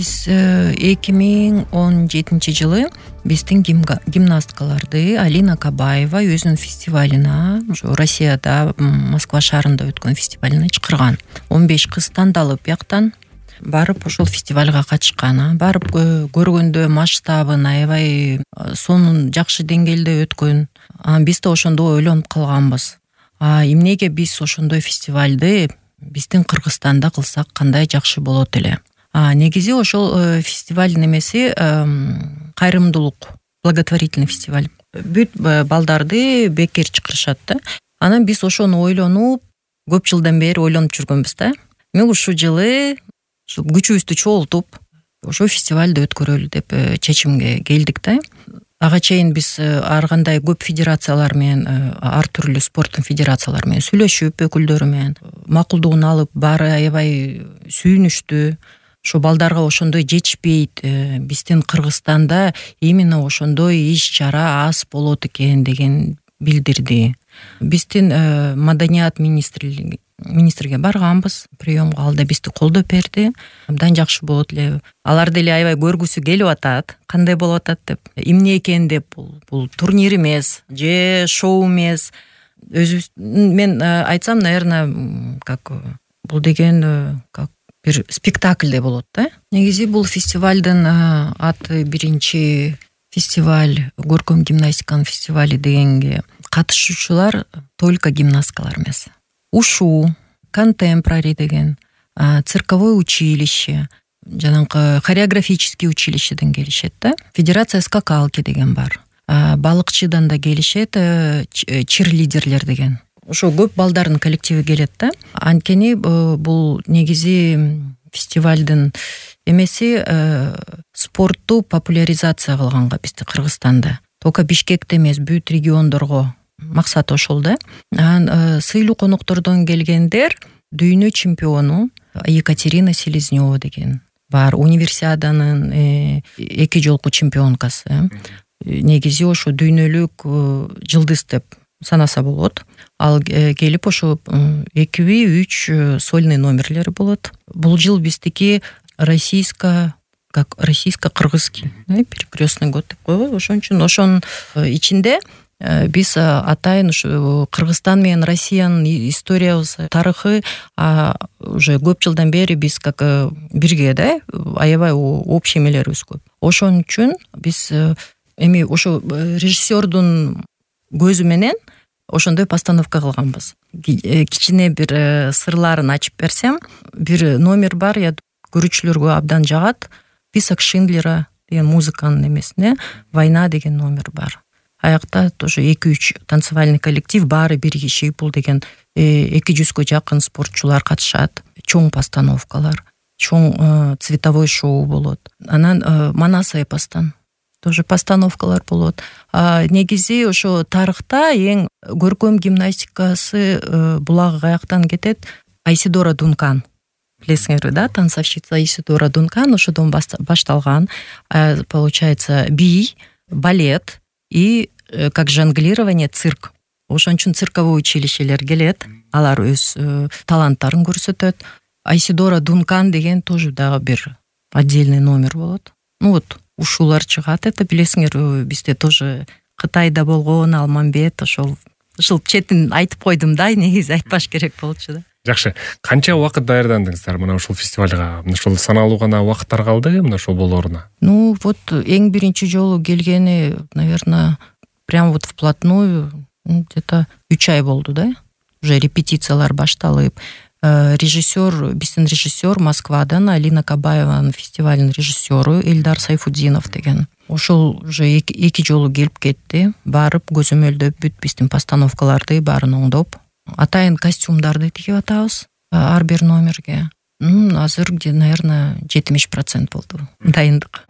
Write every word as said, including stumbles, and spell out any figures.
Биз эки миң он жетинчи жылы биздин гимнасткаларды Алина Кабаева өзүнүн фестивалына, ошо Россияда Москва шаарында өткөн фестивалына чакырган. он беш кыз тандалып бияктан барып ошол фестивалга катышкан. Барып көргөндө масштабын аябай сонун жакшы деңгээлде өткөн. Биз да ошондо ойлонуп калганбыз. А эмнеге биз ошондой фестивалды биздин Кыргызстанда кылсак кандай жакшы болот эле. А негизи ошол фестиваль немеси кайрымдуулук, благотворительный фестиваль. Бүт балдарды бекер чакырышат да. Анан биз ошону ойлонуп, көп жылдан бери ойлонуп жүргөнбүз да. Мен ушул жылы күчүбүздү чогултуп, ошо фестивалды өткөрөлү деп чечимге келдик да. Ага чейин биз ар кандай көп федерациялар менен, ар түрлүү спорттун федерациялары менен сүйлөшүп, өкүлдөрү менен макулдугун алып, баары аябай сүйүнүштү. Ошо балдарга ошондой жетишпейт, биздин Кыргызстанда именно ошондой иш-чара аз болот экен деген билдирди. Биздин маданият министрлиги министрге барганбыз, приемга, ал да бизди колдоп берди. Абдан жакшы болот эле. Алар деле аябай көргүсү келип атат, кандай болуп атат деп. Эмне экен деп, бул бул турнир эмес, же шоу эмес. Өзүбүз мен айтсам, наверное, как бул деген как бир спектакльде болот да. Негизи бул фестивалдын аты биринчи фестиваль, көркөм гимнастиканын фестивали дегенге катышуучулар только гимнасткалар эмес. Ушу, контемпорари деген, цирковое училище, жанагы хореографический училищеден келишет да. Федерация скакалки деген бар. Балыкчыдан да келишет, чирлидерлер деген. Ошо көп балдардын коллективи келет да. Анткени бул негизи фестивалдын эмеси спортту популяризация кылганга бизди Кыргызстанда. Только Бишкекте эмес, бүт региондорго максат ошол да. Анан сыйлуу коноктордон келгендер дүйнө чемпиону Екатерина Селезнева деген бар, универсиаданын эки жолку чемпионкасы. Негизи ошо дүйнөлүк жылдыз деп санаса болот. Ал келип ошо экиби үч сольный номерлери болот. Бул жыл биздики российско как российско-кыргызский, перекрёстный год деп койбойбу, ошон үчүн ошонун ичинде биз атайын ушу Кыргызстан менен Россиянын историябыз, тарыхы уже көп жылдан бери биз как бирге да, аябай общий эмелерибиз көп. Ошон үчүн биз эми ошо режиссердун көзү менен ошондой постановка кылганбыз. Кичине бир сырларын ачып берсем, бир номер бар, я көрүүчүлөргө абдан жагат. Список Шиндлера деген музыканын эмесине «Война» деген номер бар. Аякта тоже эки үч танцевальный коллектив баары биригишип, бул деген эки жүзгө жакын спортчулар катышат. Чоң постановкалар, чоң цветовой шоу болот. Анан Манас эпостон тоже постановкалар болот. Негизи ошо тарыхта эң көркөм гимнастикасы булагы каяктан кетет? Айсидора Дункан. Билесиңерби да, танцовщица Айсидора Дункан ошодон башталган. Получается, бий, балет и как жонглирование, цирк. Ошон үчүн цирковое училищелер келет, алар өз таланттарын көрсөтөт. Айсидора Дункан деген тоже дагы бир отдельный номер болот. Ну вот, ушулар чыгат, это билесиңер, бизде тоже Кытайда болгон Алмамбет, ошол ушул четин айтып койдум да, негизи айтпаш керек болчу да. Жакшы. Канча убакыт даярдандыңыздар мына ушул фестивалга? Мына ушул саналуу гана убакыттар калды мына ушул болооруна? Ну, вот эң биринчи жолу келгени, наверное, прям вот вплотную где-то үч ай болду да. Уже репетициялар башталып, режиссер, биздин режиссер Москвадан, Алина Кабаеванын фестивалдын режиссеру Эльдар Сайфуддинов деген. Ошол уже эки жолу келип кетти, барып көзөмөлдөп, бүт биздин постановкаларды баарын оңдоп, атайын костюмдарды тигип атабыз ар бир номерге. Азыр где, наверное, жетимиш процент болду дайындык.